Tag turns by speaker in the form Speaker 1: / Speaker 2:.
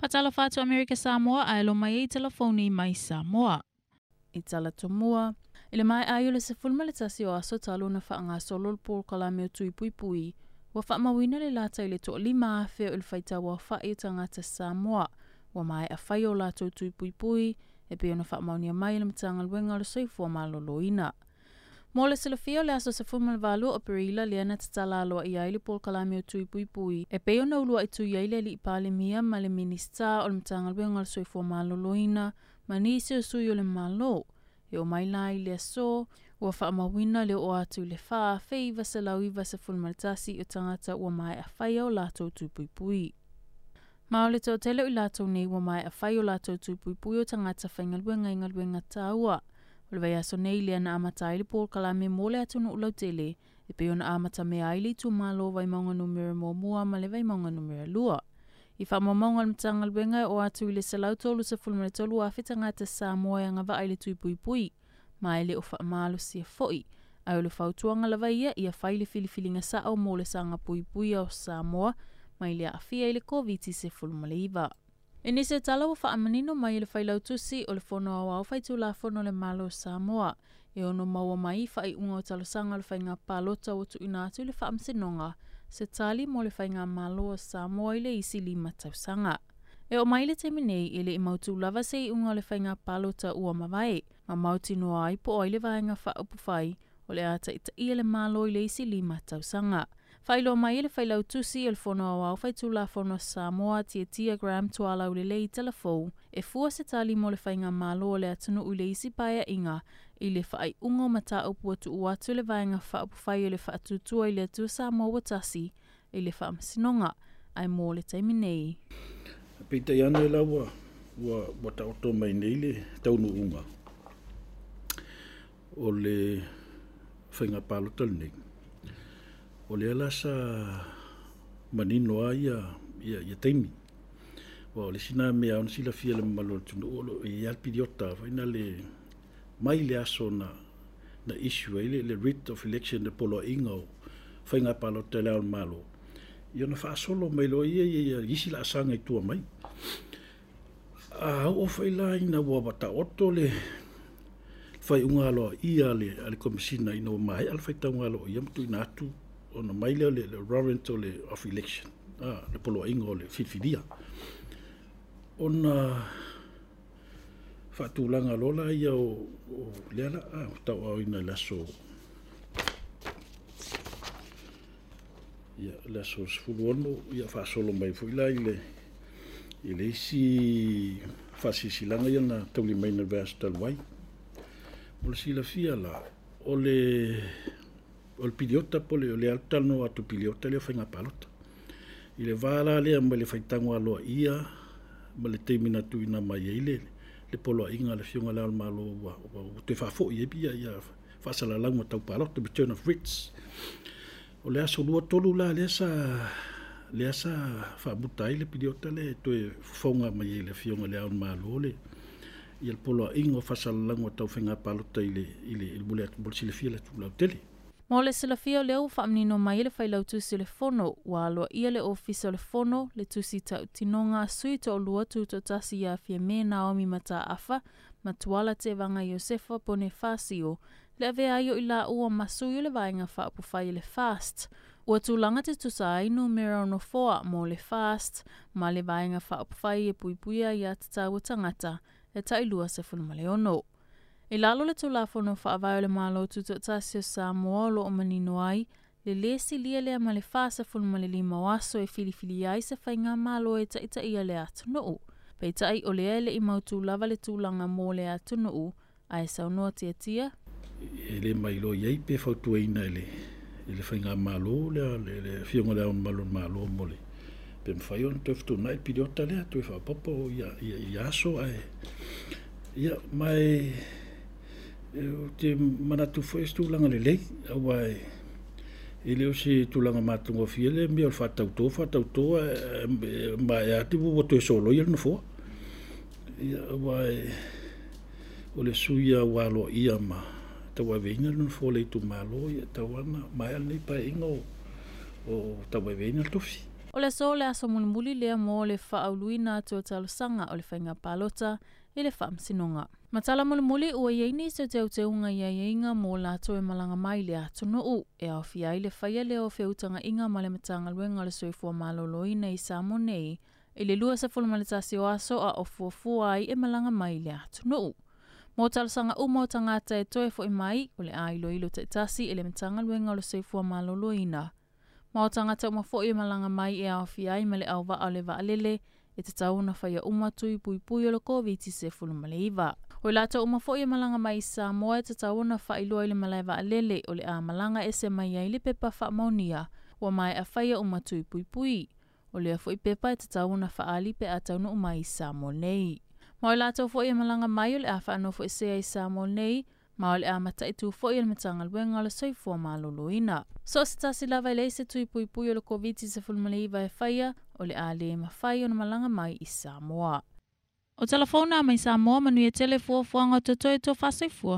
Speaker 1: Faatalofa atu Amerika Samoa ae alo mai ai telefoni mai Samoa. I tala tomua, i le maea ai o le 11 o aso talu ona faagasolo le polokalame o Tui Puipui, ua faamauina le lata i le 5,000 o le faitau aofa'i o tagata Samoa ua maea fai o latou tui puipui e pei ona faamaonia mai e le Matagaluega o le Soifua Maloloina. Mo le silafia o le aso 18 o Aperila lea na tatala aloaia ai le polokalame o Tui Puipui e pei ona uluai tui ai le Alii Palemia ma le Minisita o le Matagaluega o le Soifua Maloloina ma nisi o sui o le Malo. E oo mai la i le aso, ua faamauina le oo atu i le 4,991 o tagata ua maea faia o latou tui puipui. Ma o le toatele o i latou nei ua maea fai o latou tui puipui o tagata faigaluega i galuega taua. O le vaiaso nei lea na amata ai le polokalame mo le atunuu lautele e pei ona amatamea ai le itumalo Vaimauga Nu.1 ma le Vaimauga Nu.2. I faamaumauga a le Matagaluega e oo atu i le 133,000 tagata Samoa e agavaa i le tui puipui, ma e le o faamalosia foi. Ae o le fautuaga lava ia, ia fai le filifiliga sao mo le saga puipuia o Samoa mai le aafia i le Koviti-19. I nisi o tala ua faamanino mai e le Failautusi o le Fono Aoao Faitulafono a le Malo o Samoa, e ono maua mai i faaiuga o talosaga o le faiga palota ua tuuina atu i le Faamasinoga se tali mo le faigamalo a Samoa i le isi 5 tausaga. E oo mai i le taimi nei, e le i mautu lava se iuga o le faiga palota ua mavae, ma mautinoa ai po o ai le Vaega Faaupufai o le a taitaia le Malo i le isi 5 tausaga. Faailoa mai e le Failautusi o le Fono Aoao Faitulafono a Samoa, Tiatia Graham Tualaulelei Talafou, e fua se tali mo le faigamalo a le atunuu i le isi paeaiga i le faaiuga o mataupu ua tuu atu e le Vaega Faaupufai o le Faatuatua i le Atua Samoa ua Tasi i le Faamasinoga, ae mo le taimi nei.
Speaker 2: Peitai ane la ua ua taoto mai nei le taunuuga o le faiga palota lenei. O lea la sa manino lava ia taimi. Aua o le isi lena mea e ao ona silafia e le mamalu o le atunuu o lo o i ai lava le piliota foi lena mai le aso na issue ai le writ of election, le poloaiga o faiga palota i Le Ao o le Malo, ia ona faasolo mai loa ia i isi laasaga i tua mai. A oo foi la ina ua taoto le faaiuga aloaia a le Komesina ina ua maea le faitauga aloaia ma tuuina atu ona mai lea o le warrant of election, le poloaiga o le filifilia, ona faatulaga loa la ia o lea la tauaaoina i le aso ia le aso 16, ia faasolo mai foi la i le isi faasilasilaga ia na taulimaina i le vaiaso talu ai. Mo le silafia la, o le piliota po o le a talanoa atu piliota lea o faiga palota. I le va la lea mai le faitauga aloaia ma le taimi na tuuina mai ai le poloaiga a le Afioga i Le Ao o le Malo ua toe faafoi ai ia faasalalauga tau palota, return of writs. O le aso 23 la lea sa faamuta ai le piliota lea e toe fofoga mai ai le Afioga i Le Ao o le Malo le poloaiga o faasalalauga tau faiga palota i le mo le silafia le atunuu lautele.
Speaker 1: Mo le silafia o lea ua faamanino mai e le Failautusi o le Fono, ua aloaia le Ofisa o le Fono, le tusi tautinoga a sui toalua tutoatasi ia Fiame Naomi Mataafa ma Tuala Tevaga Iosefa Ponifasio, le avea ai o i laua ma sui o le Vaega Faaupufai o le FAST. Ua tulaga te tusa ai numera o nofoa mo le FAST ma le Vaega Faaupufai e puipuia ia tatau o tagata e tai 26. I lalo le Tulafono Faavae o le Malo Tutoatasi o Samoa o lo o manino ai, le lē silia lea ma le 45 o aso e filifili ai se faiga malo e taitaia le atunuu. Peitai o lea e le i mautu lava le tulaga mo le atunuu, ae saunoa Tiatia.
Speaker 2: E le mailoa i ai pe fautuaina e le faigamalo le Afioga i Le Ao Mamalu o le Malo mo le pe mafai ona toe fetuunai le piliota lea, toe faaopoopo ia aso ae ia ma ou te manatu foi o se tulaga lelei, aua e le o se tulaga matagofie le mea o le faatauto maea atu ua toe soloia le nofoa. Ia aua o le sui ua aloaia ma tauaveina le nofoa o le itumalo, ia tau lava ona maea lenei paeaiga o tauaveina le tofi.
Speaker 1: O le aso le aso mulimuli lea mo le faauluina atu o talosaga o le faiga palota i le faamasinoga. Ma tala mulimuli ua i ai nisi o teuteuga i aiaiga mo latou e malaga mai i le atunuu e aofia ai le faia lea o feutagaiga ma le Matagaluega o le Soifua Maloloina i Samoa nei i le 21 o aso a o fuafua ai e malaga mai i le atunuu. Mo talosaga uma o tagata e toe fo'i mai, o le a iloilo taitasi e le Matagaluega o le Soifua Maloloina. Ma o tagata uma fo'i e malaga mai e aofia ai ma le auvaa o le vaalele, e tatau ona faia uma tui puipui o le Koviti-19. O i latou uma fo'i e malaga mai i Samoa e tatau ona faailoa i le malae vaalele o le a malaga ese mai ai le pepa faamaonia ua maea faia uma tui puipui. O lea fo'i pepa e tatau ona faaali pe a taunuu mai i Samoa nei. Ma o i latou fo'i e malaga mai o le a faanofoesea i Samoa nei, ma o le a mataitu fo'i e le Matagaluega o le Soifua Maloloina. So o se tasi lava e leai se tui puipui o le Koviti-19 e faia, o le a le mafai ona malaga mai i Samoa. O tala fou na mai Samoa, manuia tele fuafuaga o totoe tofa soifua.